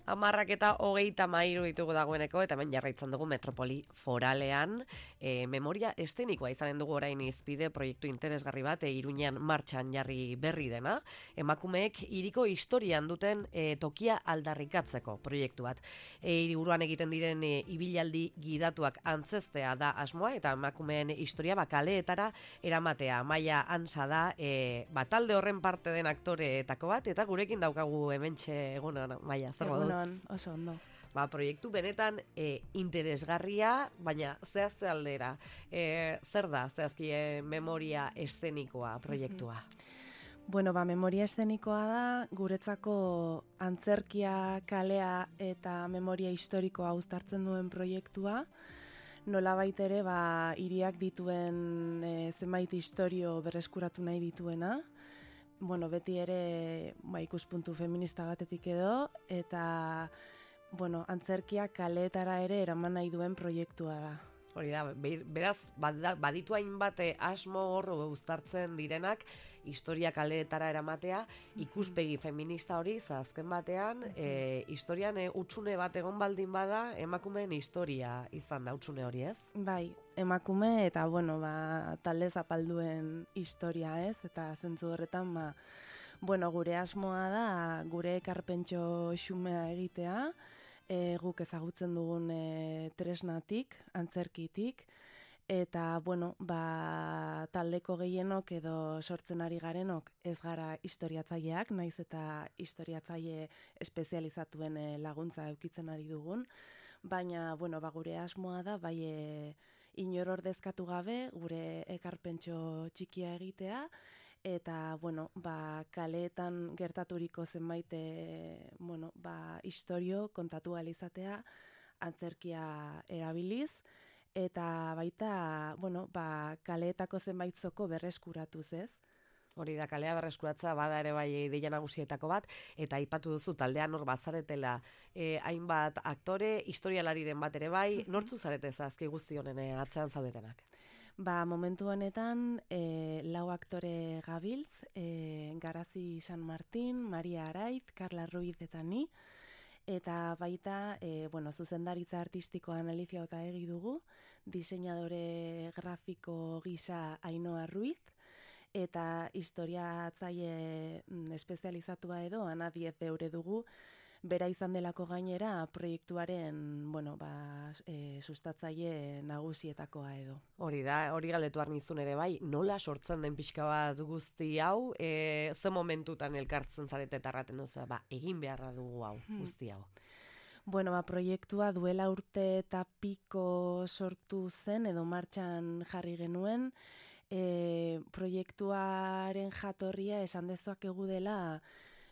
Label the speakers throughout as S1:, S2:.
S1: 10:33 ditugu dagoeneko, eta hemen jarraitzen dugu Metropoli Foralean. Memoria eszenikoa izanen dugu orain izpide proiektu interesgarri bat, Iruñean martxan jarri berri dena. Emakumeek hiriko historian duten tokia aldarrikatzeko proiektu bat. Hiriburuan egiten diren ibilaldi gidatuak antzeztea da asmoa, eta emakumeen historia kaleetara eramatea. Maia Ansa da talde horren parte den aktoreetako bat, eta gurekin daukagu hementxe. Egunon, Maia, zer moduz?
S2: Egunon, oso ondo.
S1: Proiektu benetan interesgarria, baina zehazte aldera. Zer da, zehazki, memoria eszenikoa proiektua?
S2: Memoria eszenikoa da, guretzako antzerkia, kalea eta memoria historikoa uztartzen duen proiektua. Nolabait ere, hiriak dituen zenbait historio berreskuratu nahi dituena. Beti ere ikuspuntu feminista batetik edo, eta antzerkia kaleetara ere eraman nahi duen proiektua da.
S1: Hori da, beraz, baditu hainbat asmo hor uztartzen direnak, historia kaleetara eramatea, ikuspegi feminista hori, azken batean, historian hutsune bat egon baldin bada, emakumeen historia izan da hutsune hori, ez?
S2: Bai, emakume eta, talde zapalduen historia, ez? Eta zentzu horretan, gure asmoa da, gure ekarpentxo xumea egitea, guk ezagutzen dugun tresnatik, antzerkitik, eta, taldeko gehienok edo sortzen ari garenok ez gara historiatzaileak, naiz eta historiatzaile espezializatuen laguntza eukitzen ari dugun, baina, gure asmoa da, inor ordezkatu gabe, gure ekarpentxo txikia egitea, eta, kaleetan gertaturiko zenbait, historio kontatu alizatea antzerkia erabiliz, eta baita, kaleetako zenbait zoko berreskuratuz, ez?
S1: Hori da, kalea berreskuratza bada ere bai ideia nagusietako bat, eta aipatu duzu taldean hor bazaretela hainbat aktore, historialariren bat ere bai, nortzu zarete zazki guzti honen atzean zaudetenak?
S2: Momentu honetan, 4 aktore gabiltz, Garazi San Martin, Maria Araiz, Carla Ruiz eta ni, eta baita, zuzendaritza artistikoan Alicia Otaegi dugu, diseinadore grafiko gisa Ainhoa Ruiz, eta historiatzaile espezializatua edo Ana Diez Beure dugu, bera izan delako gainera proiektuaren, sustatzaile nagusietakoa edo.
S1: Hori da, hori galdetu arnizun ere bai, nola sortzen den pixka bat guzti hau, ze momentutan elkartzen zarete eta erraten duzu, egin beharra dugu hau, guzti hau.
S2: Proiektua duela urte eta piko sortu zen edo martxan jarri genuen. Proiektuaren jatorria esan dezakegu dela,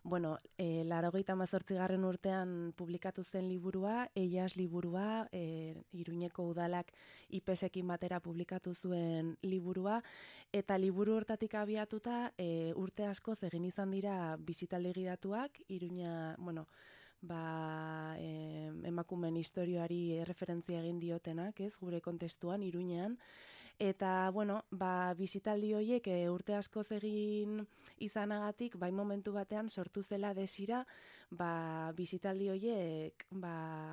S2: 98. urtean publikatu zen liburua, Eias liburua, Iruñeko udalak IPESekin batera publikatu zuen liburua, eta liburu hortatik abiatuta urte askoz egin izan dira bisitaldi gidatuak, Iruña, emakumeen historioari referentzia egin diotenak, ez, gure kontestuan, Iruñean, eta, bisitaldi horiek urte askoz egin izanagatik, momentu batean sortu zela desira, bisitaldi horiek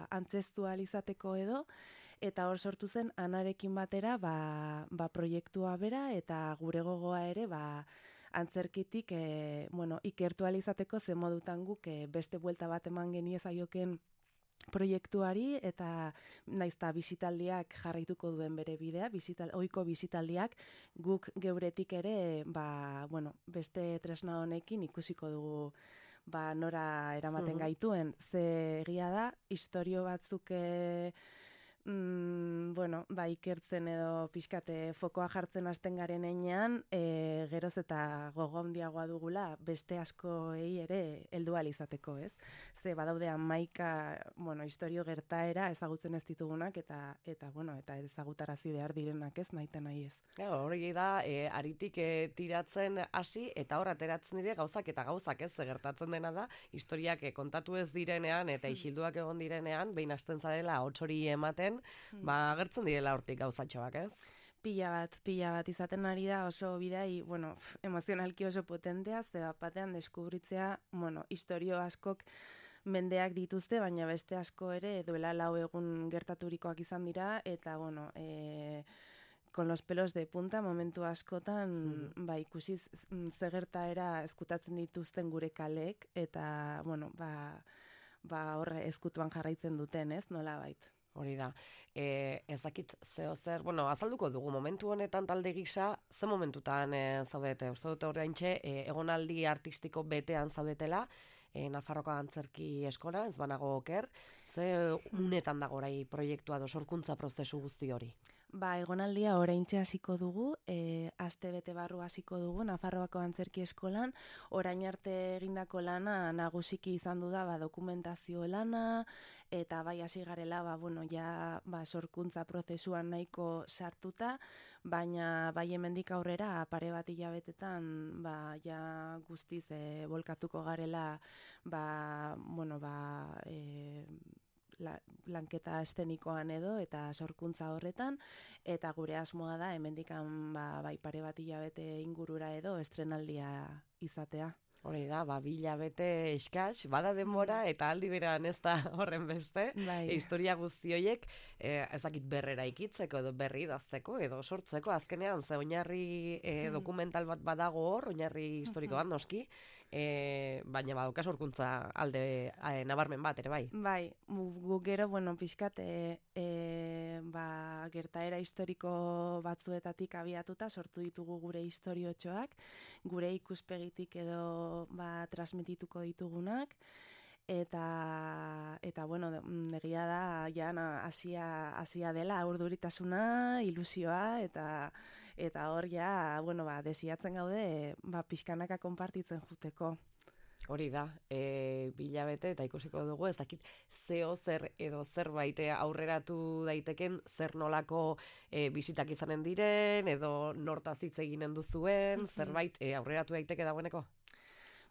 S2: antzeztu izateko edo, eta hor sortu zen Anarekin batera proiektua bera, eta gure gogoa ere antzerkitik ikertu izateko zen modutan guk beste buelta bat eman geniezaioken proiektuari, eta naizta bisitaldiak jarraituko duen bere bidea, ohiko bisitaldiak, guk geuretik ere, beste tresna honekin ikusiko dugu nora eramaten gaituen. Ze egia da, historio batzuk ikertzen edo pixkate fokoa jartzen hasten garen einean, geroz eta gogo handiagoa dugula beste askoei ere heldu ahal izateko, ez? Ze badaude 11 historio gertaera ezagutzen ez ditugunak eta ezagutarazi behar direnak, ez, nahi eta nahi ez.
S1: Hori da, aritik tiratzen hasi eta hor ateratzen dire gauzak eta gauzak, ez, gertatzen dena da, historiak kontatu ez direnean eta isilduak egon direnean, behin hasten zarela hots hori ematen, agertzen direla hortik gauzatxoak, ez?
S2: Pila bat izaten ari da oso bidai, emozionalki oso potentea, ze bat batean deskubritzea, historio askok mendeak dituzte, baina beste asko ere duela 4 egun gertaturikoak izan dira, eta, bueno, con los pelos de punta momentu askotan, ba, ikusi ze gertaera ezkutatzen dituzten gure kalek, eta, bueno, horre ezkutuan jarraitzen duten, ez, nola bait.
S1: Hori da, ez dakit zeo zer, bueno, azalduko dugu momentu honetan talde gisa, ze momentutan zaudete, uste dut horreintxe, egonaldi artistiko betean zaudetela, Nafarroko Antzerki Eskola, ez banago oker, ze unetan dago orai proiektua edo sorkuntza prozesu guzti hori?
S2: Ba, egonaldia oraintxe hasiko dugu, aste bete barru hasiko dugu Nafarroako Antzerki Eskolan, orain arte egindako lana nagusiki izan du da dokumentazio lana, eta bai hasi garela, bueno, ja sorkuntza prozesuan nahiko sartuta, baina bai hemendik aurrera pare bat hilabetetan ja guztiz volkatuko garela lanketa estenikoan edo eta sorkuntza horretan, eta gure asmoa da hemendikan bai pare bat hilabete ingurura edo estrenaldia izatea.
S1: Hori da, 2 hilabete eskas, bada denbora eta aldi berean ez da horren beste, historia guzti horiek ezakit berrera ikitzeko edo berri idazteko edo sortzeko, azkenean ze oinarri dokumental bat badago hor, oinarri historiko bat noski, baina baduka sorkuntza alde nabarmen bat ere bai.
S2: Bai, guk gero, bueno, pixkat gertaera historiko batzuetatik abiatuta sortu ditugu gure historiotxoak, gure ikuspegitik edo transmitituko ditugunak, eta bueno, egia da hasia dela urduritasuna, ilusioa, eta hor ja, bueno, desiatzen gaude, pixkanaka konpartitzen juteko.
S1: Hori da, 2 hilabete eta ikusiko dugu, ez dakit zeo zer edo zerbait aurreratu daiteken, zer nolako bisitak izanen diren, edo nortaz hitz eginen duzuen, zerbait aurreratu daiteke dagoeneko?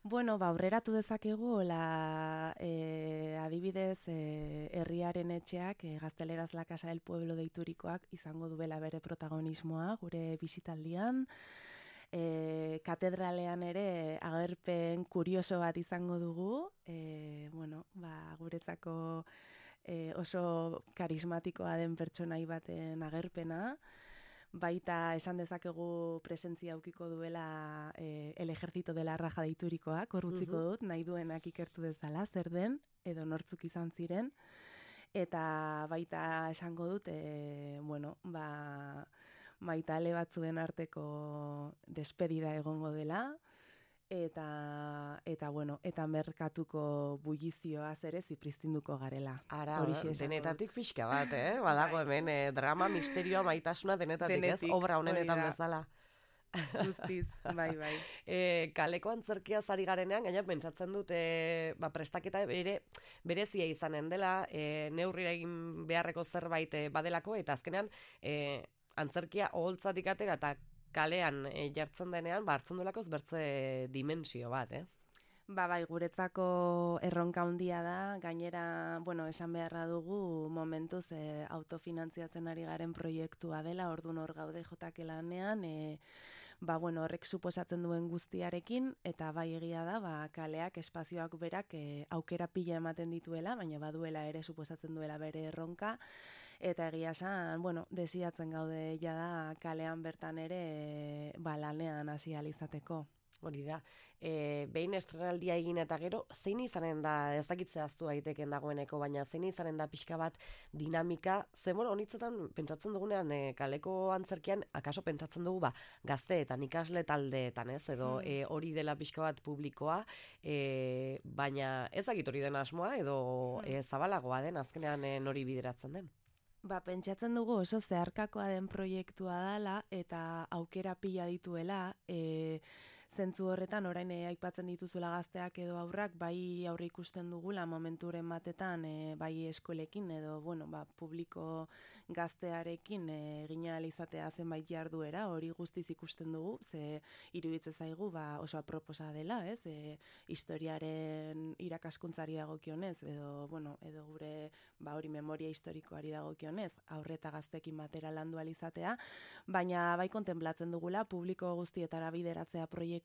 S2: Bueno, aurreratu dezakegu, adibidez, herriaren etxeak, Gazteleraz la Casa del Pueblo deiturikoak izango duela bere protagonismoa gure bisitaldian, katedralean ere agerpen kurioso bat izango dugu, bueno, guretzako oso karismatikoa den pertsonai baten agerpena, baita esan dezakegu presentzia aukiko duela el ejército de la raja deiturikoak, hor utziko dut, nahi duenak ikertu dezala, zer den, edo nortzuk izan ziren, eta baita esango dut, bueno, maitale batzuen arteko despedida egongo dela, eta bueno, eta merkatuko bullizioaz ere zipristinduko garela.
S1: Ara, denetatik pixka bat, badago hemen, drama, misterioa, maitasuna denetatik, ez? Obra honenetan bezala.
S2: Guztiz, bai.
S1: Kaleko antzerkia zari garenean, gaina pentsatzen dut, prestaketa berezia izanen dela, neurrira egin beharreko zerbait badelako, eta azkenean, antzerkia oholtzatik atera eta kalean jartzen denean, hartzen duelakoz bertze dimensio bat, ez?
S2: Bai, guretzako erronka handia da, gainera, bueno, esan beharra dugu momentuz autofinantziatzen ari garen proiektua dela, orduan hor gaude jotake lanean, bueno, horrek suposatzen duen guztiarekin, eta bai egia da, kaleak, espazioak berak aukera pila ematen dituela, baina baduela ere suposatzen duela bere erronka, eta egia esan, bueno, desiatzen gaude jada kalean bertan ere lanean hasi ahal izateko.
S1: Hori da, behin estrenaldia egin eta gero, zein izanen da, ez dakit zehaztu daiteken dagoeneko, baina zein izanen da pixka bat dinamika, honitzetan pentsatzen dugunean kaleko antzerkian, akaso pentsatzen dugu gazteetan, ikasle taldeetan, ez, edo hori dela pixka bat publikoa, baina ez dakit hori den asmoa, edo zabalagoa den, azkenean nori bideratzen den.
S2: Pentsatzen dugu oso zeharkakoa den proiektua dela, eta aukera pila dituela, zentzu horretan orain aipatzen dituzuela gazteak edo aurrak, bai aurre ikusten dugula momenturen batetan, bai eskolekin edo, bueno, publiko gaztearekin egina izatea zenbait jarduera, hori guztiz ikusten dugu, ze iruditzen zaigu oso aproposa dela, ez? Historiaren irakaskuntzari dagokionez, edo, bueno, edo gure hori memoria historikoari dagokionez, aurreta gaztekin batera landu ahal izatea, baina bai kontenplatzen dugula publiko guztietara bideratzea proiektua,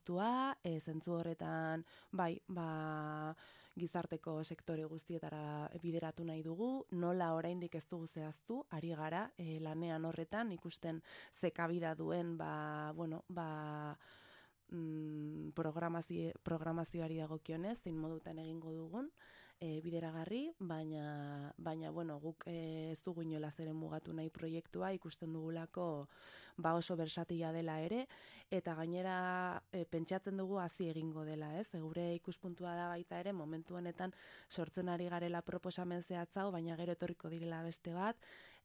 S2: zentzu horretan, bai, gizarteko sektore guztietara bideratu nahi dugu, nola oraindik ez dugu zehaztu, ari gara lanean horretan, ikusten zekabida duen, programazioari dagokionez, zein modutan egingo dugun, bideragarri, baina guk ez dugu inolaz ere mugatu nahi proiektua, ikusten dugulako oso bersatila dela ere, eta gainera pentsatzen dugu hasi egingo dela, ez? Gure ikuspuntua da baita ere, momentu honetan sortzen ari garela proposamen zehatzau, baina gero etorriko direla beste bat,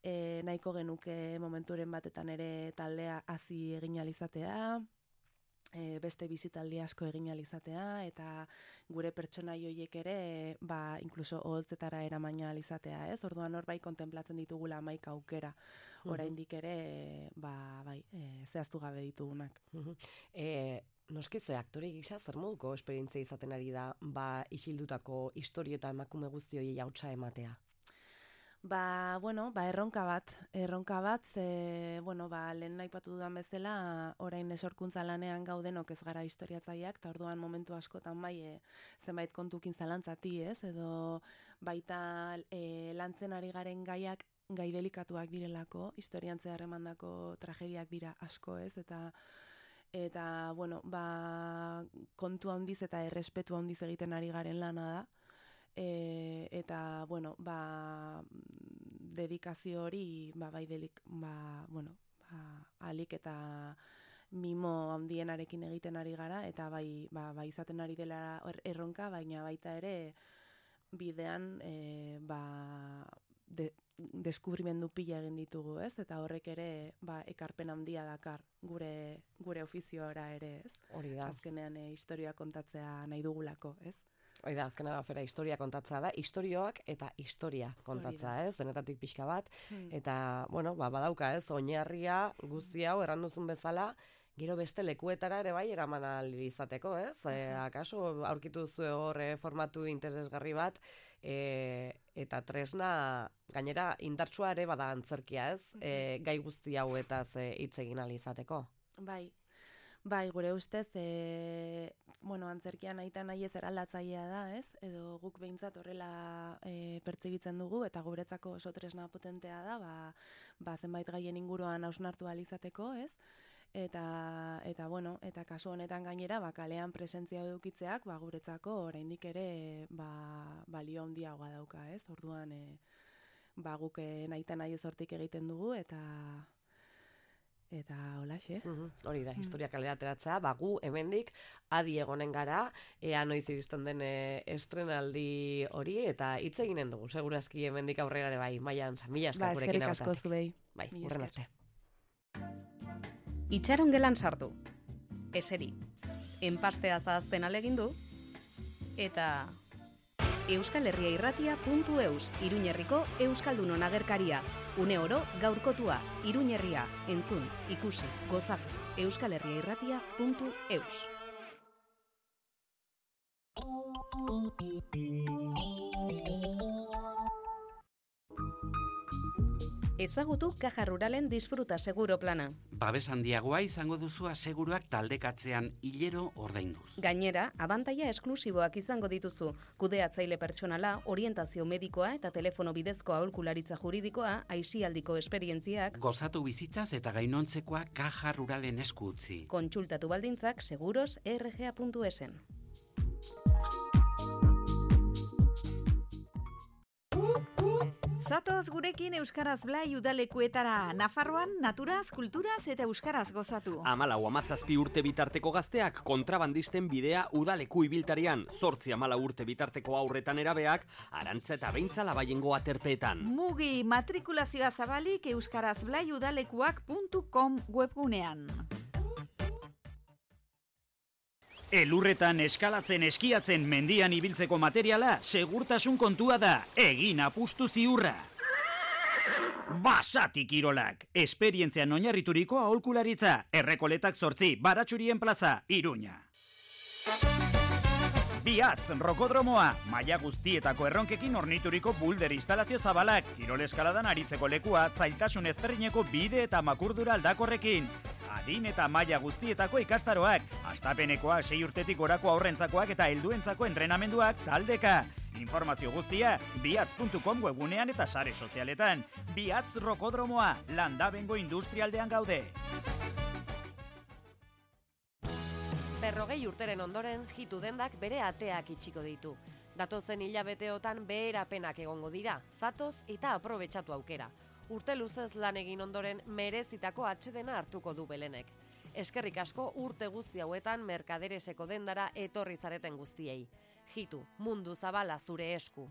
S2: nahiko genuke momenturen batetan ere taldea hasi egin alizatea, beste bizitaldi asko egin alizatea, eta gure pertsonai horiek ere, inkluso oholtzetara eramaina alizatea, ez? Orduan hor bai kontemplatzen ditugula 11 aukera, oraindik ere, zehaztu gabe ditugunak.
S1: Noski ze aktore gisa zer moduko esperientzia izaten ari da, isildutako istorio eta emakume guzti horiei hautsa ematea?
S2: Erronka bat, lehen aipatu dudan bezala, orain sorkuntza lanean gaudenok ez gara historiatzaileak, eta orduan momentu askotan zenbait kontukin zalantzati, ez? Edo baita lantzen ari garen gaiak gai delikatuak direlako, historian zehar emandako tragediak dira asko, ez? Eta kontu handiz eta errespetu handiz egiten ari garen lana da. Eta, dedikazio hori, alik eta mimo handienarekin egiten ari gara, eta izaten ari dela erronka, baina baita ere bidean, deskubrimendu pila egin ditugu, ez? Eta horrek ere, ekarpen handia dakar gure ofizioara ere, ez?
S1: Hori da.
S2: Azkenean historia kontatzea nahi dugulako, ez?
S1: Hoi da, azken arafera historia kontatzea da, istorioak eta historia kontatzea, ez? Denetatik pixka bat, eta, badauka, ez? Oinarria guzti hau erranduzun bezala, gero beste lekuetara ere bai eraman ahal izateko, ez? Akaso aurkitu zuen hor formatu interesgarri bat, eta tresna, gainera indartsua ere bada antzerkia, ez? Gai guzti hauetaz hitz egin ahal izateko.
S2: Bai, gure ustez, antzerkian nahi ez eraldatzailea da, ez? Edo guk behintzat horrela pertsegitzen dugu, eta guretzako oso tresna potentea da, zenbait gaien inguruan hausnartu ahal izateko, ez? Eta kasu honetan gainera, kalean presentzia edukitzeak, guretzako oraindik ere balio handiagoa dauka, ez? Orduan, guk nahi ez hortik egiten dugu, eta holaxe.
S1: Hori da, historia kalera ateratzea, gu hemendik adi egonen gara, ea noiz iristen den estrenaldi hori, eta hitz eginen dugu, segurazki hemendik aurrera ere bai, Maian Mila esker gurekin
S2: eskerrik asko zuei.
S1: Bai, urren arte.
S3: Itxaron gelan sartu, eseri, enpastea zahazten alegindu, eta euskalherriairratia.eus, Iruñerriko Euskaldunon agerkaria. Une oro gaurkotua, Iruñerria, entzun, ikusi, gozatu, euskalherriairratia.eus. Ezagutu Caja Ruralen disfruta seguro plana.
S4: Babes handiagoa izango duzu aseguruak taldekatzean hilero ordainduz.
S3: Gainera, abantaila esklusiboak izango dituzu. Kudeatzaile pertsonala, orientazio medikoa eta telefono bidezko aholkularitza juridikoa, aisialdiko esperientziak.
S4: Gozatu bizitzaz eta gainontzekoa Caja Ruralen esku utzi.
S3: Kontsultatu baldintzak seguros.rga.esen.
S5: Zatoz gurekin Euskaraz Blai udalekuetara, Nafarroan naturaz, kulturaz eta euskaraz gozatu.
S6: 14-17 urte bitarteko gazteak kontrabandisten bidea udaleku ibiltarian, 8-14 urte bitarteko aurretan erabeak, Arantza eta Beintza Labaiengo aterpeetan.
S5: Mugi matrikulazioa zabalik euskarazblaiudalekuak.com webgunean.
S7: Elurretan eskalatzen eskiatzen mendian ibiltzeko materiala segurtasun kontua da, egin apustu ziurra. Basati kirolak, esperientzian oinarrituriko aholkularitza, Errekoletak 8, Baratxurien plaza, Iruña. Biatz, rokodromoa, maila guztietako erronkekin ornituriko bulder instalazio zabalak, kirol eskaladan aritzeko lekua, zailtasun ezberdineko bide eta makurdura aldakorrekin. Adin eta maila guztietako ikastaroak, hastapenekoak 6 urtetik gorako aurrentzakoak eta helduentzako entrenamenduak taldeka. Informazio guztia biatz.com webgunean eta sare sozialetan. Biatz Rokodromoa, Landabengo industrialdean gaude.
S1: 40 urteren ondoren Jitu dendak bere ateak itxiko ditu. Datozen hilabeteotan beherapenak egongo dira, zatoz eta aprobetxatu aukera. Urte luzez lan egin ondoren merezitako atsedena hartuko du Belenek. Eskerrik asko urte guzti hauetan Merkadereseko dendara etorri zareten guztiei. Jitu, mundu zabala zure esku.